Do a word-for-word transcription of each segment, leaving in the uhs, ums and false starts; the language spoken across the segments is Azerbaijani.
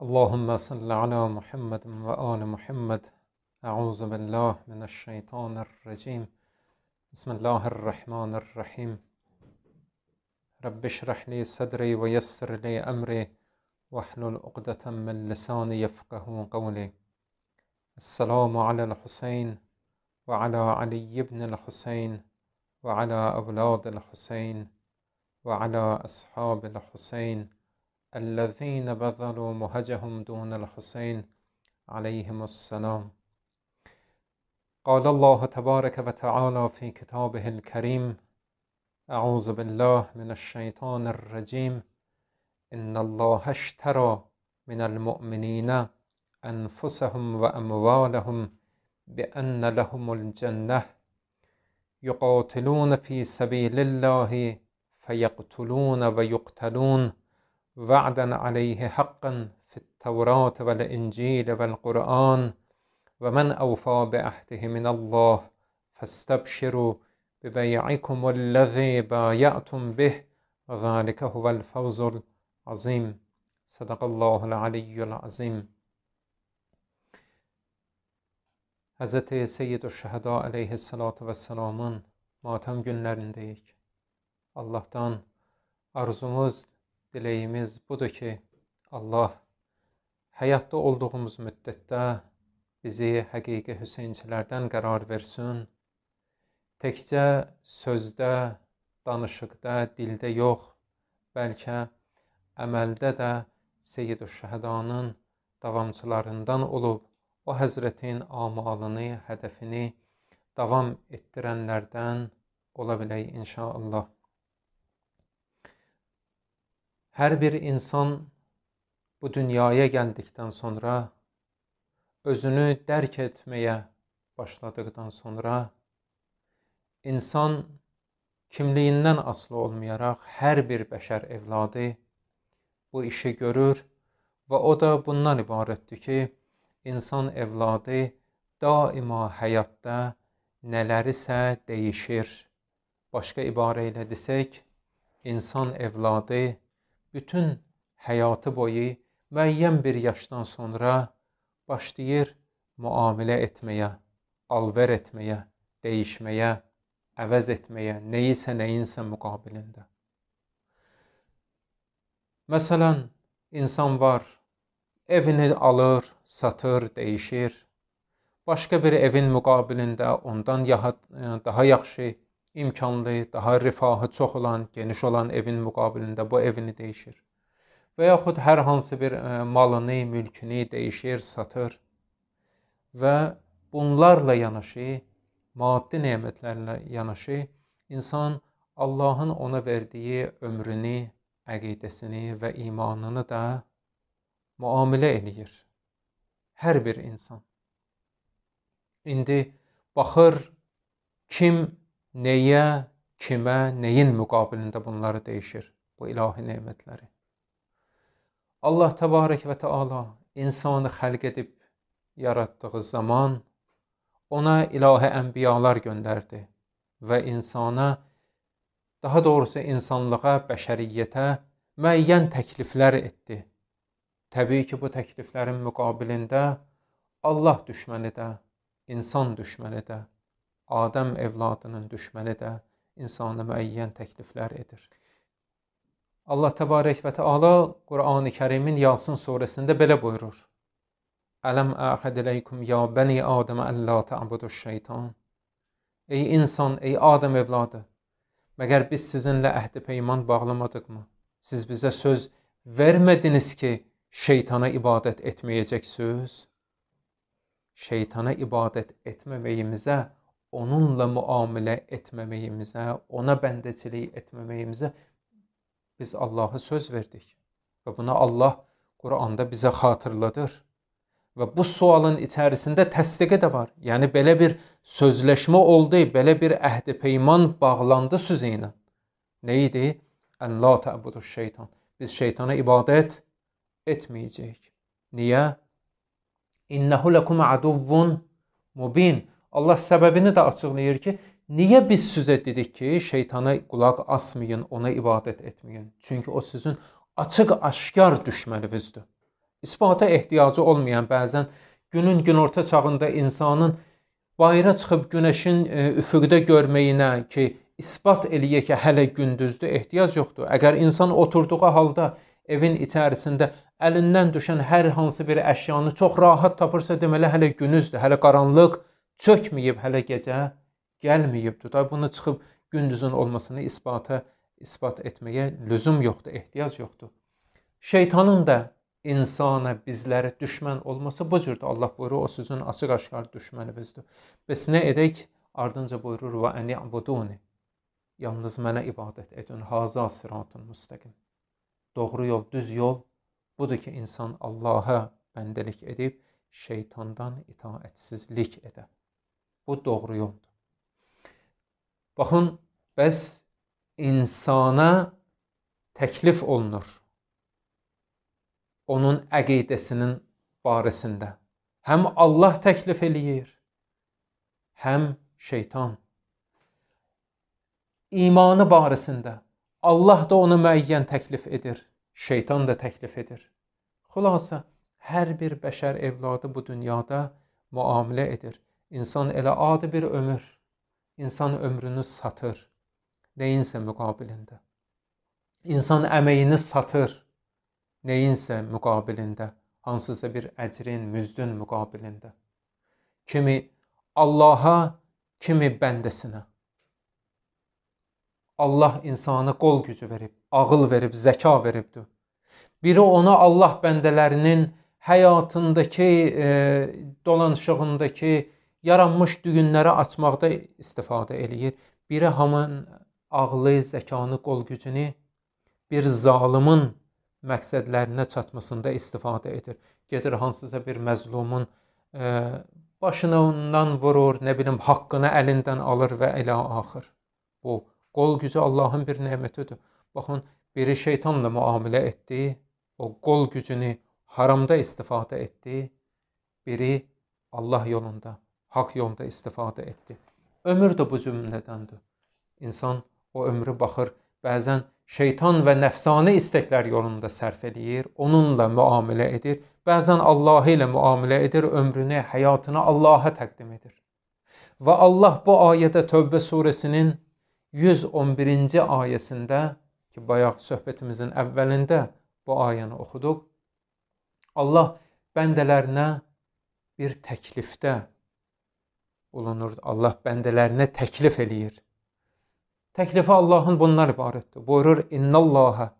اللهم صل على محمد وآل محمد. أعوذ بالله من الشيطان الرجيم. بسم الله الرحمن الرحيم. رب اشرح لي صدري ويسر لي أمري واحلل عقدة من لساني يفقه قولي. السلام على الحسين وعلى علي بن الحسين وعلى أولاد الحسين وعلى أصحاب الحسين الذين بذلوا مهجهم دون الحسين عليهم السلام. قال الله تبارك وتعالى في كتابه الكريم: أعوذ بالله من الشيطان الرجيم. إن الله اشترى من المؤمنين أنفسهم وأموالهم بأن لهم الجنة يقاتلون في سبيل الله فيقتلون ويقتلون وعدا عليه حقا في التوراة والإنجيل والقرآن ومن أوفى بعهده من الله فاستبشروا ببيعكم الذي بايعتم به وذلك هو الفوز العظيم. صدق الله العلی العظیم. Hz. Seyyid-ü-Şüheda aleyhissalatu vesselamın matem günlerindeyik. Allah'tan arzumuz, dileyimiz budur ki Allah hayatta olduğumuz müddətdə bizi həqiqi Hüseynçilərdən qərar versin. Təkcə sözdə, danışıqda, dildə yox, bəlkə əməldə də Seyyid-ü-Şühedanın davamçılarından olub, o həzrətin amalını, hədəfini davam etdirənlərdən ola bilək inşallah. Hər bir insan bu dünyaya gəldikdən sonra, özünü dərk etməyə başladıqdan sonra, insan kimliyindən asılı olmayaraq hər bir bəşər evladı bu işi görür və o da bundan ibarətdir ki, insan evladı daima həyatda nələrisə dəyişir. Başqa ibarə ilə desək, insan evladı bütün həyatı boyu müəyyən bir yaşdan sonra başlayır müamilə etməyə, alver etməyə, dəyişməyə, əvəz etməyə, neyisə nəyinsə müqabilində. Məsələn, insan var, evini alır, satır, dəyişir. Başqa bir evin müqabilində ondan daha yaxşı, imkanlı, daha rifahı çox olan, geniş olan evin müqabilində bu evini dəyişir. Və yaxud hər hansı bir malını, mülkünü dəyişir, satır. Və bunlarla yanaşı, maddi nemətlərlə yanaşı, insan Allahın ona verdiyi ömrünü, əqidəsini və imanını da müamilə edir. Hər bir insan. İndi baxır, kim nəyə, kimə, nəyin müqabilində bunları dəyişir, bu ilahi nemətləri. Allah təbarək və təala insanı xəlq edib yaratdığı zaman ona ilahi ənbiyalar göndərdi və insana, daha doğrusu insanlığa, bəşəriyyətə müəyyən təkliflər etdi. Təbii ki, bu təkliflərin müqabilində Allah düşməni də, insan düşməni də, Adəm evladının düşməni də insana müəyyən təkliflər edir. Allah təbarək və təala Qur'an-ı Kərimin Yasin surəsində belə buyurur: Ələm əhəd iləykum ya bəni Adəmə əllə tə'buduş şeytan. Ey insan, ey Adəm evladı, məgər biz sizinlə əhd-i peyman bağlamadıqmı? Siz bizə söz vermədiniz ki, şeytana ibadət etməyəcəksiniz. Şeytana ibadət etməməyimizə, onunla müamilə etməməyimizə, ona bəndəçilik etməməyimizə biz Allah'a söz verdik. Və buna Allah Qur'anda bizə xatırladır. Və bu sualın içərisində təsdiqi də var. Yəni, belə bir sözləşmə oldu, belə bir əhd-i peyman bağlandı sizə ilə. Nə idi? Əllə tə'buduş şeytan. Biz şeytana ibadət etməyəcəyik. Niyə? İnnəhu ləkum əduvvun mubin. Allah səbəbini də açıqlayır ki, niyə biz sizə dedik ki, şeytana qulaq asmayın, ona ibadət etməyin? Çünki o sizin açıq-aşkar düşməninizdir. İsbata ehtiyacı olmayan, bəzən günün günorta çağında insanın bayıra çıxıb günəşin e, üfüqdə görməyinə ki, isbat eləyə ki, hələ gündüzdür, ehtiyac yoxdur. Əgər insan oturduğu halda evin içərisində əlindən düşən hər hansı bir əşyanı çox rahat tapırsa, deməli hələ günüzdür, hələ qaranlıq çökməyib, hələ gecə gəlməyibdir. Da bunu çıxıb gündüzün olmasını isbata isbat etməyə lüzum yoxdur, ehtiyac yoxdur. Şeytanın da insana, bizlərə düşmən olması bu cürdür. Allah buyurur, o sizin açıq-aşkar düşməninizdir. Bəs nə edək? Ardınca buyurur, və əni abuduni. Yalnız mənə ibadət edin. Haza siratun müstəqim. Doğru yol, düz yol budur ki, insan Allaha bəndəlik edib, şeytandan itaətsizlik edə. Bu doğru yoldur. Baxın, bəs insana təklif olunur. Onun əqidəsinin barəsində. Həm Allah təklif eləyir, həm şeytan. İmanı barəsində. Allah da onu müəyyən təklif edir, şeytan da təklif edir. Xülasə, hər bir bəşər evladı bu dünyada müamilə edir. İnsan elə adi bir ömür, insan ömrünü satır, neyinsə müqabilində. İnsan əməyini satır, neyinsə müqabilində, hansısa bir əcrin, müzdün müqabilində. Kimi Allaha, kimi bəndəsinə. Allah insana qol gücü verib, ağıl verib, zəka veribdir. Biri ona Allah bəndələrinin həyatındakı, e, dolanışığındakı yaranmış düyünləri açmaqda istifadə eləyir. Biri hamın ağlı, zəkanı, qol gücünü bir zalimin məqsədlərinə çatmasında istifadə edir. Gedir hansısa bir məzlumun e, başından vurur, nə bilim, haqqını əlindən alır və elə axır. Bu, qol gücü Allahın bir nemətidir. Baxın, biri şeytanla müamilə etdi, o qol gücünü haramda istifadə etdi, biri Allah yolunda, haqq yolunda istifadə etdi. Ömür də bu cümlədəndir. İnsan o ömrü baxır, bəzən şeytan və nəfsani istəklər yolunda sərf edir, onunla müamilə edir, bəzən Allah ilə müamilə edir, ömrünü, həyatını Allaha təqdim edir. Və Allah bu ayədə Tövbə surəsinin yüz on birinci ayəsində, ki, bayaq söhbətimizin əvvəlində bu ayəni oxuduq, Allah bəndələrinə bir təklifdə bulunur. Allah bəndələrinə təklif eləyir. Təklifi Allahın bundan ibarətdir. Buyurur, İnnallaha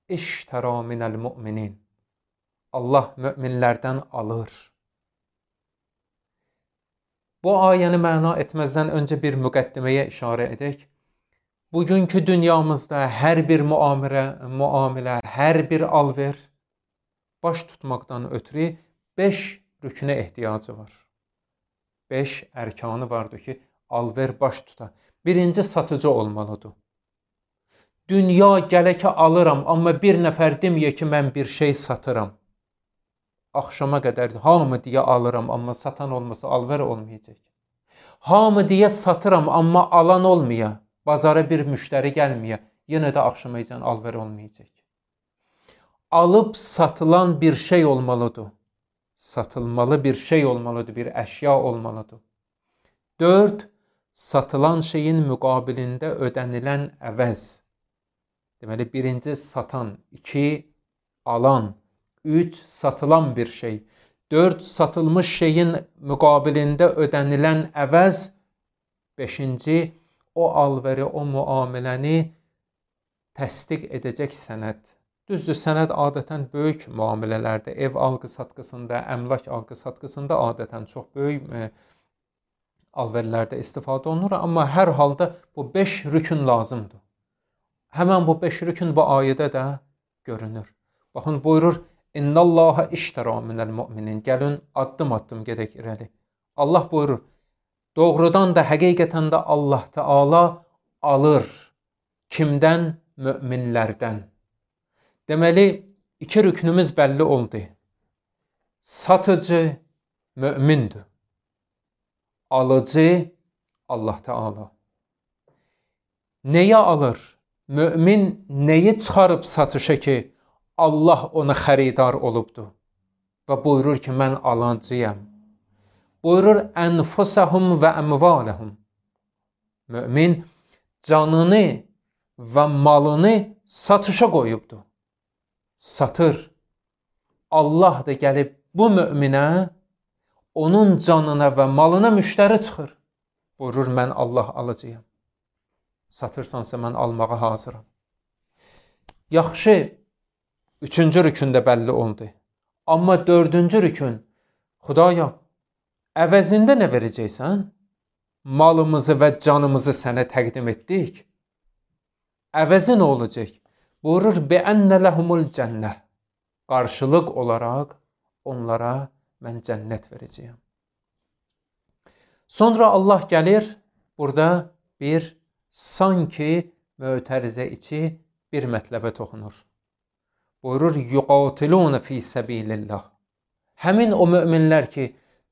iştəra minəl müminin. Allah möminlərdən alır. Bu ayəni məna etməzdən öncə bir müqəddiməyə işarə edək. Bugünkü dünyamızda hər bir müamilə, müamilə, hər bir alver baş tutmaqdan ötürü beş rükünə ehtiyacı var. Beş ərkanı vardır ki, alver baş tuta. Birinci, satıcı olmalıdır. Dünya gələ ki alıram, amma bir nəfər deməyə ki, mən bir şey satıram. Axşama qədər hamı deyə alıram, amma satan olmasa alver olmayacaq. Hamı deyə satıram, amma alan olmaya, bazara bir müştəri gəlməyə, yenə də axşamacan alver olmayacaq. Alıb satılan bir şey olmalıdır. Satılmalı bir şey olmalıdır, bir əşya olmalıdır. Dörd, satılan şeyin müqabilində ödənilən əvəz. Deməli, birinci satan, iki alan, üç satılan bir şey, dörd satılmış şeyin müqabilində ödənilən əvəz, beşinci o alveri, o müamiləni təsdiq edəcək sənəd. Düzdür, sənəd adətən böyük müamilələrdə, ev alqı-satqısında, əmlak alqı-satqısında adətən çox böyük e, alverlərdə istifadə olunur, amma hər halda bu beş rükün lazımdır. Həmən bu beş rükün bu ayədə də görünür. Baxın, buyurur, İnnallaha iştəra minəl müminin. Gəlin, addım-addım gedək irəli. Allah buyurur, doğrudan da, həqiqətən də Allah Teala alır. Kimdən? Möminlərdən. Deməli, iki rüknümüz bəlli oldu. Satıcı mömindir. Alıcı Allah Teala. Nəyə alır? Mömin nəyi çıxarıb satışa ki, Allah ona xəridar olubdur? və buyurur ki, mən alıcıyam. Buyurur, ənfusəhum və əmvaləhum. Mömin canını və malını satışa qoyubdur. Satır. Allah da gəlib bu möminə, onun canına və malına müştəri çıxır. Buyurur, mən Allah alıcıyam. Satırsansa mən almağa hazıram. Yaxşı, üçüncü rükündə bəlli oldu. Amma dördüncü rükün, Xudaya, əvəzində nə verəcəksən? Malımızı və canımızı sənə təqdim etdik. Əvəzi nə olacaq? Buyurur, bi'ənnə ləhumul cənnə. Qarşılıq olaraq onlara mən cənnət verəcəyəm. Sonra Allah gəlir, burada bir sanki mötərizə içi bir mətləbə toxunur. Buyurur, yuqatilun fi səbilillah. Həmin o möminlər ki,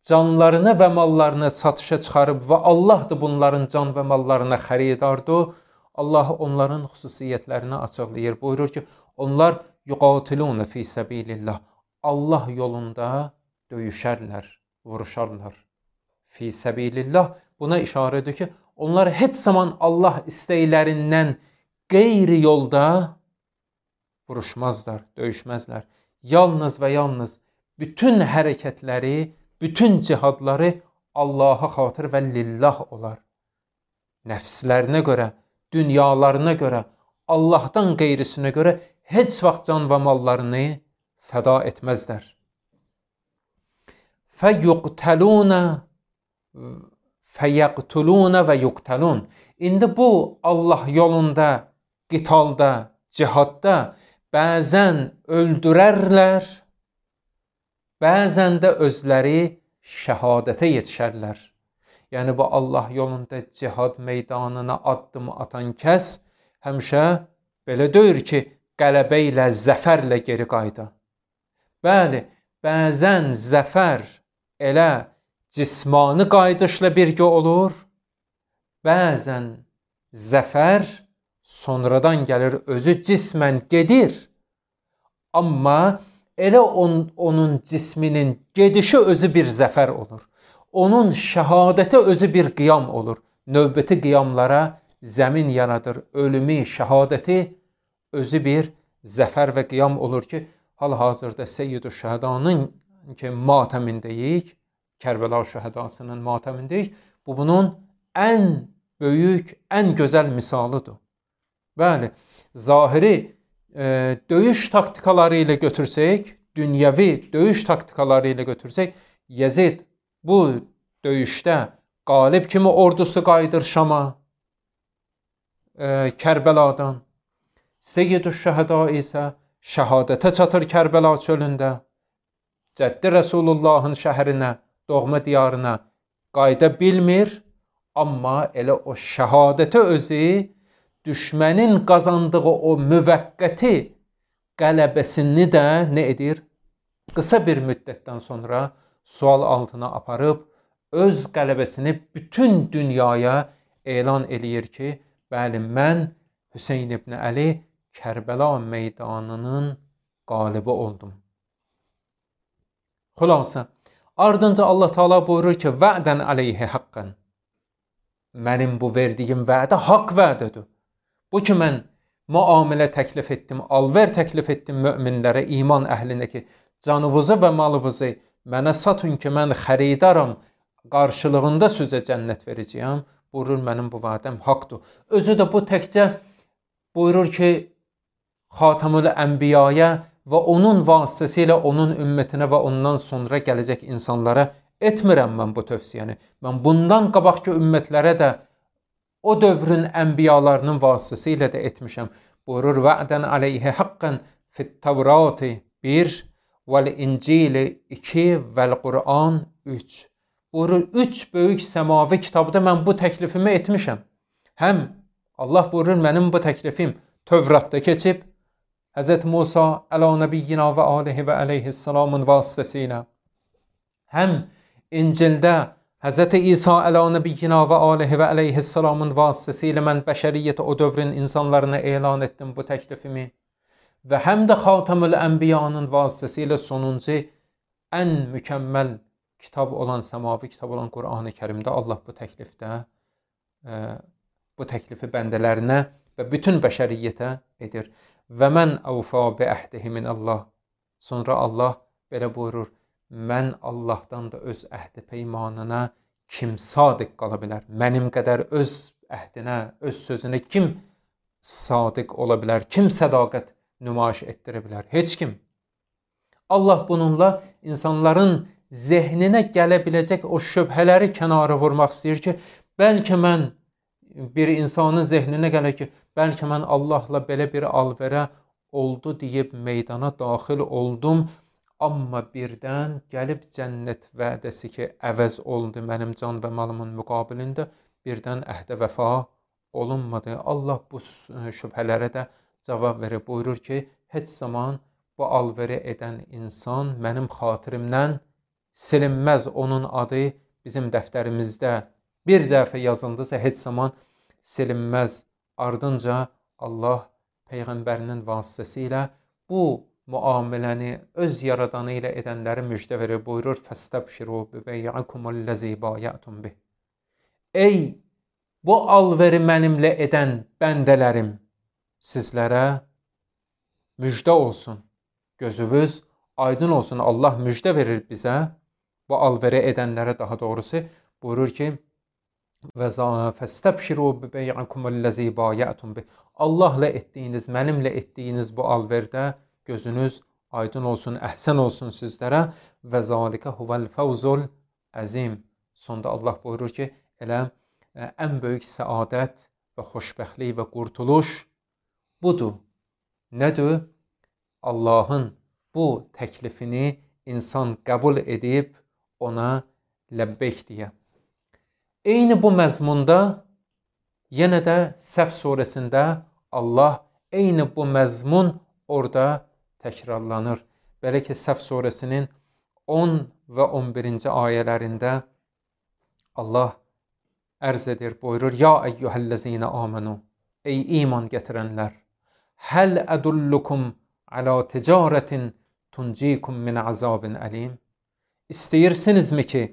canlarını və mallarını satışa çıxarıb və Allah da bunların can və mallarına xəridardır, Allah onların xüsusiyyətlərini açıqlayır. Buyurur ki, onlar yuqatilun fi səbilillah. Allah yolunda döyüşərlər, vuruşarlar. Fi səbilillah buna işarə edir ki, onlar heç zaman Allah istəklərindən qeyri yolda vuruşmazlar, döyüşməzlər. Yalnız və yalnız bütün hərəkətləri, bütün cihadları Allaha xatır və lillah olar. Nəfslərinə görə, dünyalarına görə, Allahdan qeyrisinə görə heç vaxt can və mallarını fəda etməzlər. Fəyuqtəlunə fəyəqtulunə və yuqtəlun. İndi bu Allah yolunda, qitalda, cihadda bəzən öldürərlər, bəzən də özləri şəhadətə yetişərlər. Yəni bu Allah yolunda cihad meydanına addım atan kəs həmişə belə deyir ki, qələbə ilə, zəfərlə geri qayda. Bəli, bəzən zəfər elə cismani qayıdışla birgə olur, bəzən zəfər sonradan gəlir, özü cismən gedir, amma elə on, onun cisminin gedişi özü bir zəfər olur. Onun şəhadəti özü bir qiyam olur. Növbəti qiyamlara zəmin yaradır. Ölümü, şəhadəti özü bir zəfər və qiyam olur ki, hal-hazırda Seyyid-ü Şəhədanın ki, matəmindəyik, Kərbəla şəhədasının matəmindəyik. Bu bunun ən böyük, ən gözəl misalıdır. Bəli, zahiri e, döyüş taktikaları ilə götürsək, dünyəvi döyüş taktikaları ilə götürsək, Yezid bu döyüşdə qalib kimi ordusu qayıdır Şama, e, Kərbəladan. Seyyid-ü Şəhəda isə şəhadətə çatır Kərbəla çölündə. Cəddi Rəsulullahın şəhərinə, doğma diyarına qayıda bilmir, amma elə o şəhadəti özü düşmənin qazandığı o müvəqqəti qələbəsini də nə edir? Qısa bir müddətdən sonra sual altına aparıb öz qələbəsini bütün dünyaya elan eləyir ki, bəli, mən Hüseyn ibn Əli Kərbəla meydanının qalibi oldum. Xülasə, ardınca Allah Teala buyurur ki, vədən əleyhi haqqən. Mənim bu verdiyim vədə haqq vədədir. Bu ki, mən müamilə təklif etdim, alver təklif etdim möminlərə, iman əhlinə ki, canınızı və malınızı mənə satın ki, mən xəridaram, qarşılığında sizə cənnət verəcəyəm. Buyurur, mənim bu vədəm haqdır. Özü də bu təkcə buyurur ki, Xatamül Ənbiyaya və onun vasitəsilə onun ümmətinə və ondan sonra gələcək insanlara etmirəm mən bu tövsiyəni. Mən bundan qabaqki ümmətlərə də o dövrün ənbiyalarının vasitəsilə də etmişəm. Buyurur, vədən əleyhi haqqən fit-Təvrati bir, vəl-İncili iki, vəl-Qur'an üç. Buyurur, üç böyük səmavi kitabda mən bu təklifimi etmişəm. Həm Allah buyurur, mənim bu təklifim Tövratda keçib, Həzrət Musa əla nəbiyyina və alihi və əleyhissalamın vasitəsilə. Həm İncildə Həzrət İsa əla nəbiyyina və alihi və əleyhissalamın vasitəsilə mən bəşəriyyətə o dövrün insanlarına elan etdim bu təklifimi. Və həm də Xatamül Ənbiyanın vasitəsilə sonuncu ən mükəmməl kitab olan, səmavi kitab olan Qur'an-ı Kərimdə Allah bu təklifdə e, bu təklifi bəndələrinə və bütün bəşəriyyətə edir. Və mən əvfə bi əhdihi min Allah. Sonra Allah belə buyurur, mən Allahdan da öz əhdi peymanına kim sadiq qala bilər? Mənim qədər öz əhdinə, öz sözünə kim sadiq ola bilər? Kim sədaqət nümayiş etdirə bilər? Heç kim. Allah bununla insanların zehninə gələ biləcək o şübhələri kənara vurmaq istəyir ki, bəlkə mən bir insanın zehninə gələ ki, bəlkə mən Allahla belə bir alverə oldu deyib meydana daxil oldum, amma birdən gəlib cənnət vədəsi ki, əvəz oldu mənim can və malımın müqabilində, birdən əhdə vəfa olunmadı. Allah bu şübhələrə də cavab verir, buyurur ki, heç zaman bu alveri edən insan mənim xatirimdən silinməz. Onun adı bizim dəftərimizdə bir dəfə yazıldısa heç zaman silinməz. Ardınca Allah Peyğəmbərinin vasitəsilə bu müamiləni öz yaradanı ilə edənləri müjdə verir, buyurur, fəstəbşiru bibəyəkumul-ləzi bayətum bih. Ey bu alveri mənimlə edən bəndələrim, sizlərə müjdə olsun, gözünüz aydın olsun. Allah müjdə verir bizə, bu alveri edənlərə daha doğrusu, buyurur ki, fəstəbşiru bibəyəkumul-ləzi bayətum bih. Allahla etdiyiniz, mənimlə etdiyiniz bu alverdə gözünüz aydın olsun, əhsən olsun sizlərə. Və zalikə huvəl fəvzul əzim. Sonda Allah buyurur ki, elə ən böyük səadət və xoşbəxtlik və qurtuluş budur. Nədir? Allahın bu təklifini insan qəbul edib ona ləbbeyk deyə. Eyni bu məzmunda yenə də Səf surəsində Allah eyni bu məzmun orada təkrarlanır. Belə ki, Səf surəsinin on və on birinci ayələrində Allah ərz edir, buyurur, ya əyyuhəl-ləzinə amanu, ey iman gətirənlər, həl ədullukum alə ticarətin tuncikum min əzabin əlim. İstəyirsinizmi ki,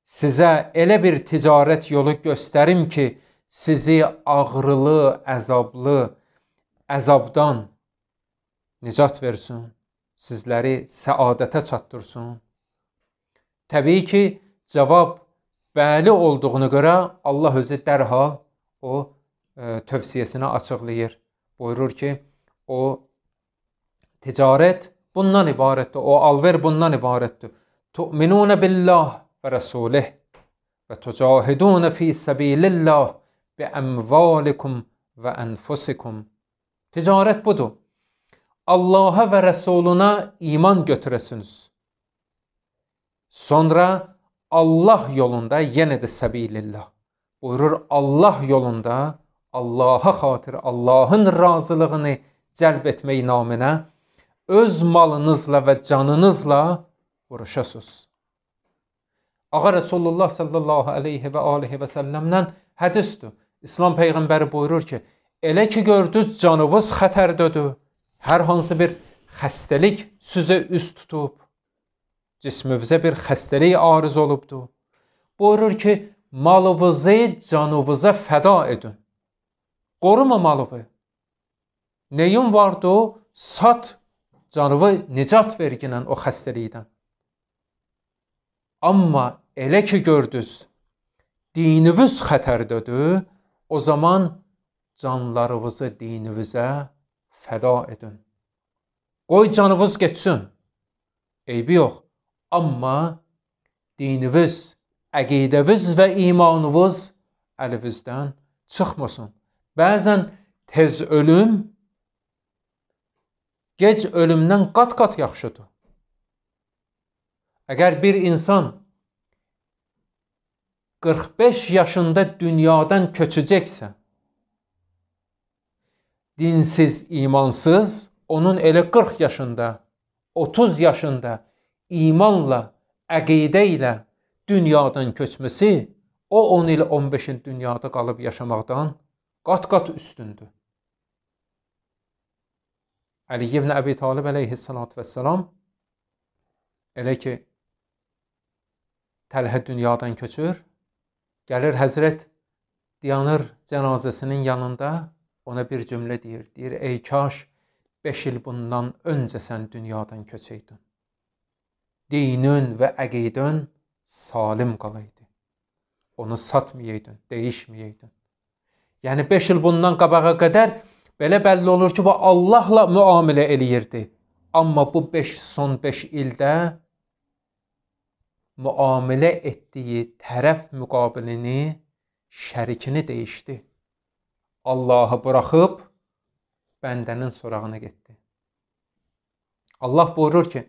sizə elə bir ticarət yolu göstərim ki, sizi ağrılı, əzablı, əzabdan nicat versin, sizləri səadətə çatdırsın. Təbii ki, cavab bəli olduğunu görə Allah özü dərhal o e, tövsiyəsini açıqlayır. Buyurur ki, o ticarət bundan ibarətdir, o alver bundan ibarətdir. Tu'minunə billah və rəsulih və tucahidunə fi səbilillah bi əmvalikum və ənfusikum. Ticarət budur. Allaha və Rəsuluna iman götürəsiniz. Sonra Allah yolunda, yenə də səbilillah. Buyurur, Allah yolunda, Allaha xatir, Allahın razılığını cəlb etmək naminə öz malınızla və canınızla vuruşasınız. Ağa Resulullah sallallahu aleyhi və aleyhi və səlləmdən hədisdir. İslam Peyğəmbəri buyurur ki, elə ki gördünüz canınız xətərdədir, hər hansı bir xəstəlik sizə üst tutub, cismünüzə bir xəstəlik arız olubdur. Buyurur ki, malınızı canınıza fəda edin. Qoruma malını. Neyin vardı? Sat, canını nicat verginən o xəstəlikdən. Amma elə ki gördünüz, dininiz xətərdədir, o zaman canlarınızı dininizə fəda edin. Qoy canınız geçsin, eybi yox. Amma dininiz, əqidəviz və imanınız əlinizdən çıxmasın. Bəzən tez ölüm, gec ölümdən qat-qat yaxşıdır. Əgər bir insan qırx beş yaşında dünyadan köçəcəksə, dinsiz, imansız, onun elə qırx yaşında, otuz yaşında imanla, əqidə ilə dünyadan köçməsi, o on il, on beş il dünyada qalıb yaşamaqdan qat-qat üstündür. Əli ibn Əbi Talib əleyhissalatu vəssalam elə ki Təlhə dünyadan köçür. Gəlir Həzrət dayanır cənazəsinin yanında, ona bir cümlə deyir. Deyir, ey kaş beş il bundan öncə sən dünyadan köçəydin. Dinün və əqidün salim qalaydı. Onu satmayaydın, değişməyaydın. Yəni beş il bundan qabağa qədər belə bəlli olur ki, bu Allahla müamilə eləyirdi. Amma bu beş, son beş ildə müamilə etdiyi tərəf müqabilini, şərikini değişdi. Allahı buraxıb bəndənin sorağına getdi. Allah buyurur ki,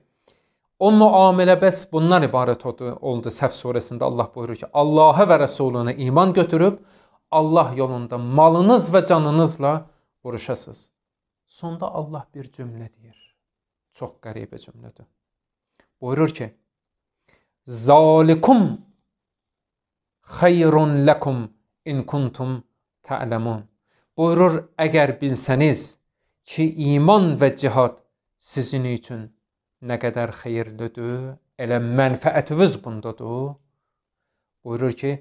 o müamilə bəs bundan ibarət oldu, oldu Səf surəsində Allah buyurur ki, Allah'a və Rəsuluna iman götürüb, Allah yolunda malınız və canınızla vuruşasınız. Sonda Allah bir cümlə deyir. Çox qəribə cümlədir. Buyurur ki, Zalikum xeyrun lekum in kuntum ta'lemun. Buyurur, əgər bilsəniz ki, iman və cihad sizin üçün nə qədər xeyirlidir, elə mənfəətiniz bundadır. Buyurur ki,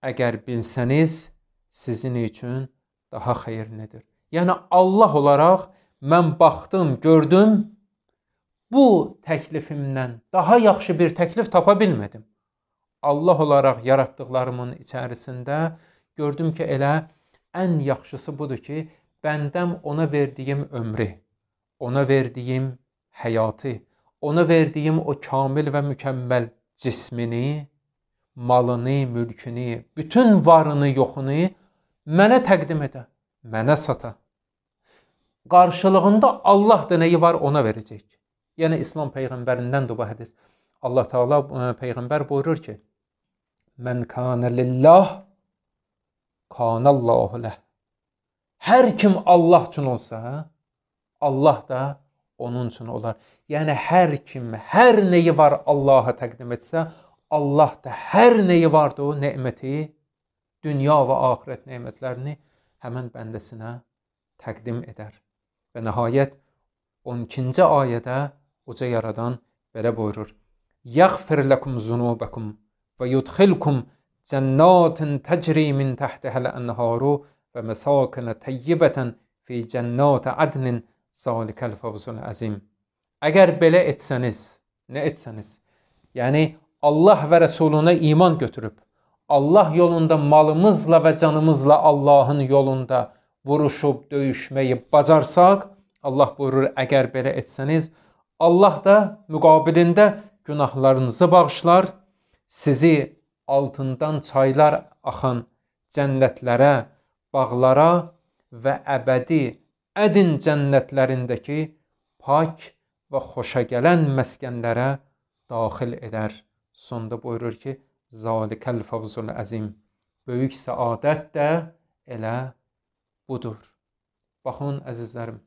əgər bilsəniz sizin üçün daha xeyirlidir. Yəni Allah olaraq mən baxdım, gördüm, bu təklifimdən daha yaxşı bir təklif tapa bilmədim. Allah olaraq yaratdıqlarımın içərisində gördüm ki, elə ən yaxşısı budur ki, bəndəm ona verdiyim ömrü, ona verdiyim həyatı, ona verdiyim o kamil və mükəmməl cismini, malını, mülkünü, bütün varını, yoxunu mənə təqdim edə, mənə sata. Qarşılığında Allah da nəyi var ona verəcək. Yəni İslam Peyğəmbərindən bu hədis. Allah Teala Peyğəmbər buyurur ki, Mən kânə lillah, kânəllahu ləh. Hər kim Allah üçün olsa, Allah da onun üçün olar. Yəni hər kim, hər neyi var Allaha təqdim etsə, Allah da hər neyi vardı o neməti, dünya və axirət nemətlərini həmən bəndəsinə təqdim edər. Və nəhayət on ikinci ayədə uca yaradan belə buyurur. Yəğfir ləkum zunubəkum və yudxilkum cənnatin təcri min təhtəhəl ənharu və məsakənə təyyibətən fi cənnat ədnin zalikəl fəvzul əzim. Əgər belə etsəniz, nə etsəniz? Yəni Allah və Rəsuluna iman götürüb, Allah yolunda malımızla və canımızla Allahın yolunda vuruşub, döyüşməyi bacarsaq, Allah buyurur, əgər belə etsəniz, Allah da müqabilində günahlarınızı bağışlar, sizi altından çaylar axan cənnətlərə, bağlara və əbədi ədin cənnətlərindəki pak və xoşa gələn məskənlərə daxil edər. Sonda buyurur ki, zalikəl fəvzul əzim. Böyük səadət də elə budur. Baxın, əzizlərim,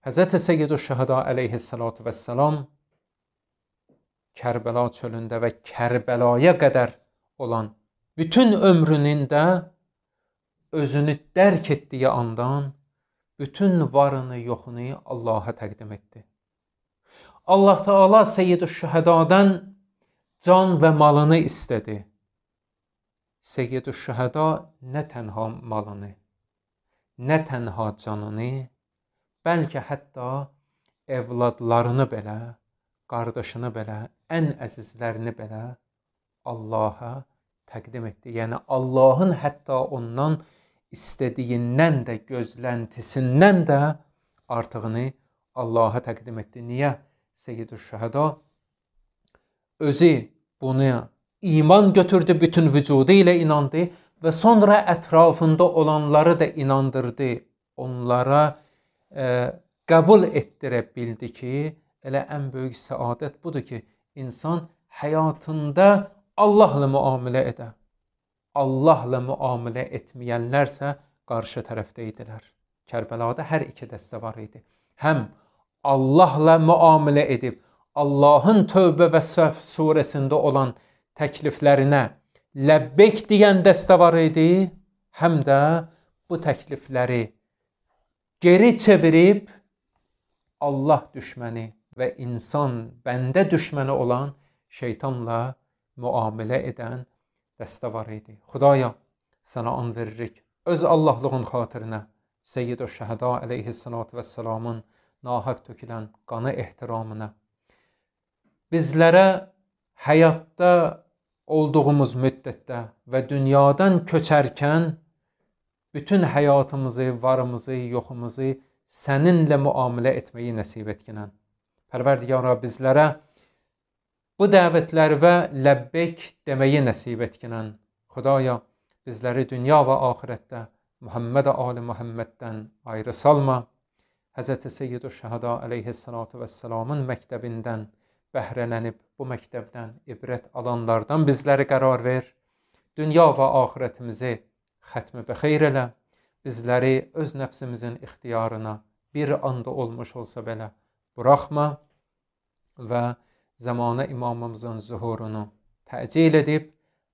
Həzrət Seyyid-ü Şəhəda əleyhissalatu vəssalam Kərbəla çölündə və Kərbəlaya qədər olan bütün ömrünün də özünü dərk etdiyi andan bütün varını, yoxunu Allaha təqdim etdi. Allah Teala Seyyid-ü Şəhədadan can və malını istədi. Seyyid-ü Şəhəda nə tənha malını, nə tənha canını, bəlkə hətta evladlarını belə, qardaşını belə, ən əzizlərini belə Allaha təqdim etdi. Yəni Allahın hətta ondan istədiyindən də, gözləntisindən də artığını Allaha təqdim etdi. Niyə? Seyyid-ü Şəhəda özü bunu iman götürdü, bütün vücudu ilə inandı və sonra ətrafında olanları da inandırdı. Onlara e, qəbul etdirə bildi ki, elə ən böyük səadət budur ki, insan həyatında Allahla müamilə edə. Allahla müamilə etməyənlərsə qarşı tərəfdə idilər. Kərbəlada hər iki dəstə var idi. Həm Allahla müamilə edib, Allahın Tövbə və Səf surəsində olan təkliflərinə ləbbeyk deyən dəstə var idi, həm də bu təklifləri geri çevirib Allah düşməni və insan, bəndə düşməni olan şeytanla müamilə edən dəstəvar idi. Xudaya, sənə an veririk. Öz Allahlığın xatirinə Seyyid-ü Şəhəda əleyhissalatu vəssalamın nahaq tökülən qanı ehtiramına bizlərə həyatda olduğumuz müddətdə və dünyadan köçərkən bütün həyatımızı, varımızı, yoxumuzu səninlə müamilə etməyi nəsib etkinən. Pərverdigara, bizlərə bu dəvətlər və ləbbeyk deməyi nəsib etkinən. Xudaya, bizləri dünya və axirətdə Muhammed Ali Muhammeddən ayrı salma. Həzrəti Seyyid-ü Şəhəda əleyhissalatu vəssalamın məktəbindən bəhrələnib bu məktəbdən ibrət alanlardan bizləri qərar ver. Dünya və axirətimizi xətmi bəxeyr elə. Bizləri öz nəfsimizin ixtiyarına bir anda olmuş olsa belə buraxma və zamanə imamımızın zuhurunu təcil edib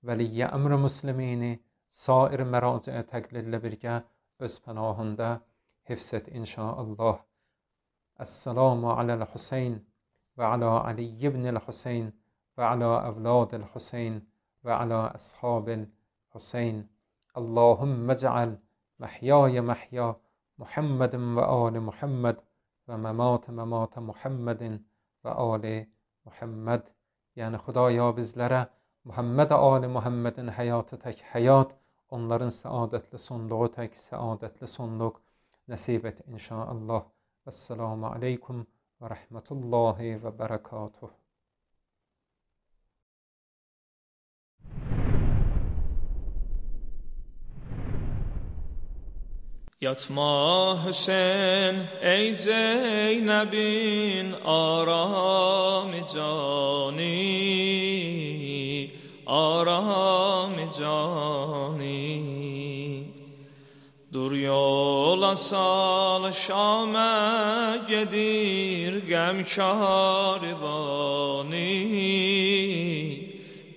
vəliyyə əmr-i müslimini sair məraciə təqlillə birgə öz pənahında hifz et inşaallah. Əssalamu aləl Hüseyn və alə Ali ibn el-Hüseyn və alə əvlad el-Hüseyn və alə əshabi el-Hüseyn. Allahümme ceal mehyaya mehya Muhammedin ve ali Muhammed ve memate memate Muhammedin ve ali Muhammed. Yani Xudaya, bizlərə Muhammed ali Muhammedin həyatı tək həyat, onların səadətli sonluğu tək səadətli sonluq nəsib et inşaallah. Vəssalamu aleykum ve rahmetullahi ve berekatuhu. Yatma Hüseyin ey Zeynep'in aram-ı cani, aram-ı cani. Dur yola sal Şam'a gedir gəm şarivani,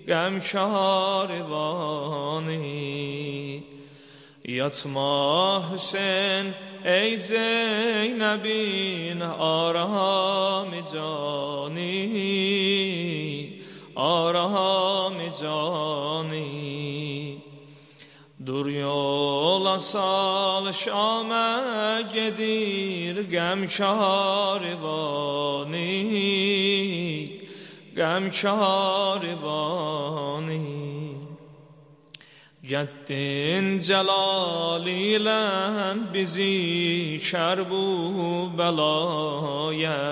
gəm şarivani. Yatma Hüseyin ey Zeynep'in aram-ı cani, aram-ı cani. Dur yola sal Şam'a gedir gəm şarivani, gəm şarivani. Gettin celal ile bizi şerbu belaya,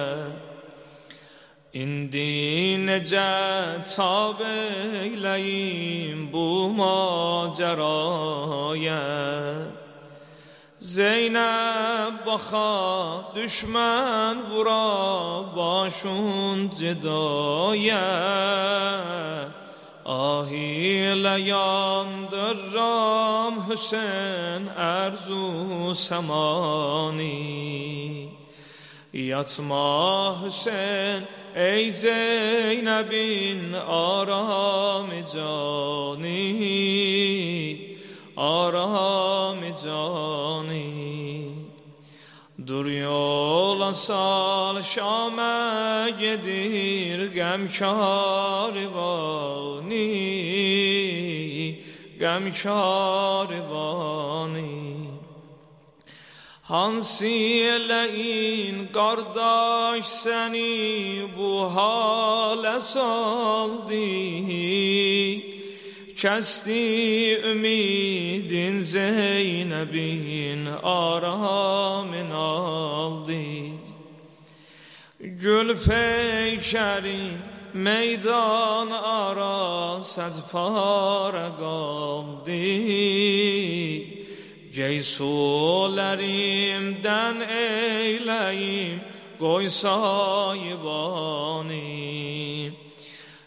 İndi necə tab eyləyim bu maceraya. Zeynep baxa düşmən vura başun cidaya, ah ile yandırram Hüseyin erzu semani. Yatma Hüseyin ey Zeynep'in aram-ı cani, aram-ı cani. Dur yola sal Şam'a gedir gəm şarivani, gəm şarivani. Hansileyin kardeş seni bu hale saldı, kesti ümidin Zeynep'in aramın aldı. Gül peykerin meydan ara sedpare kaldı. Ceysulerimden eyleyim koy sahibani.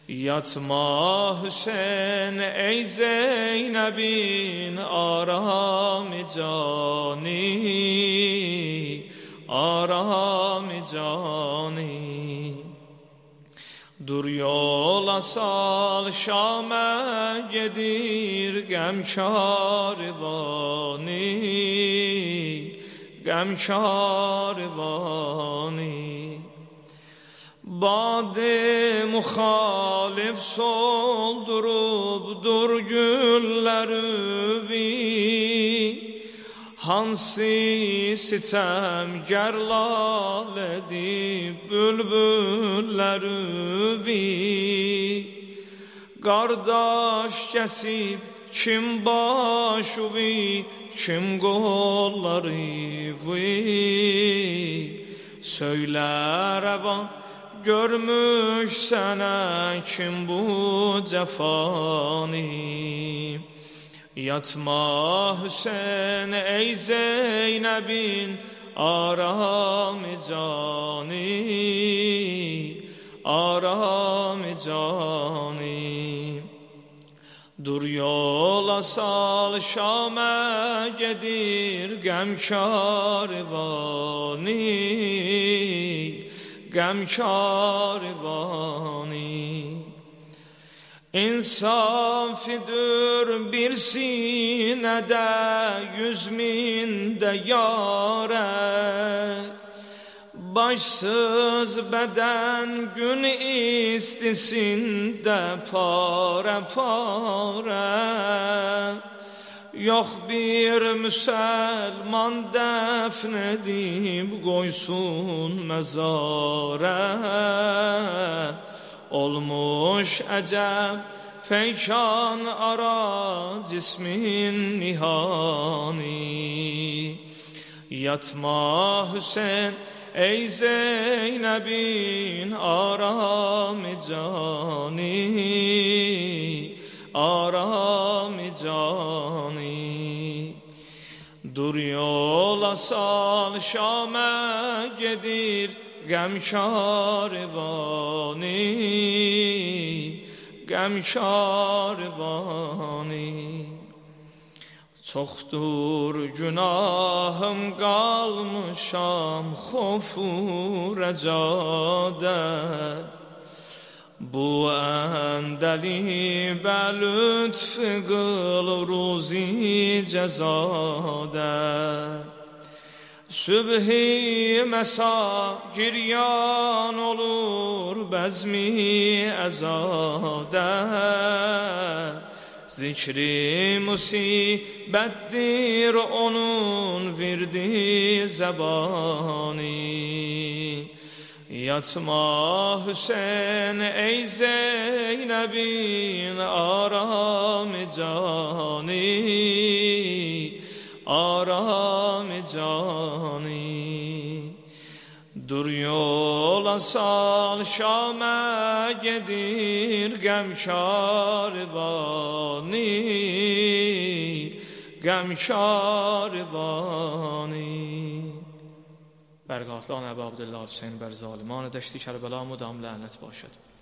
Yatma Hüseyin ey Zeynep'in aram-ı cani, aram-ı cani. Dur yola sal Şam'a gedir gəm şarivani, gəm şarivani. bad muhalif soldurup dur gülleri hansi sitemger lal edip bülbülleri Qardaş kesip kim başuvi kim qolları Söylə rəvan görmüş sənə kim bu cəfani Yatma Hüseyin ey Zeynəbin aram-ı cani aram-ı cani Dur yola sal Şam'a gedir gəm karvani gəm karvani İnsafidir bir sinede yüz minde yare Başsız beden gün istisinde pare pare Yok bir Müslüman defnedip koysun mezara Olmuş ecep feykan ara cismin nihani Yatma Hüseyin ey Zeynep'in aram-ı cani aram-ı cani Dur yola sal Şam'a gedir gəm karvani gəm karvani Çoxdur günahım qalmışam xofu rəcada Bu əndəli bəlütf qıl ruzi cəzada Sübhi məsa giryan olur bəzmi əzada Zikri musibettir onun virdi zebani Yatma Hüseyin ey Zeynep'in aram-ı cani aram-ı cani Dur yola sal Şam'a gedir gəm karvani gəm karvani بر قاتلان ابا عبدالله حسین بر ظالمان دشت کربلا مدام لعنت باشد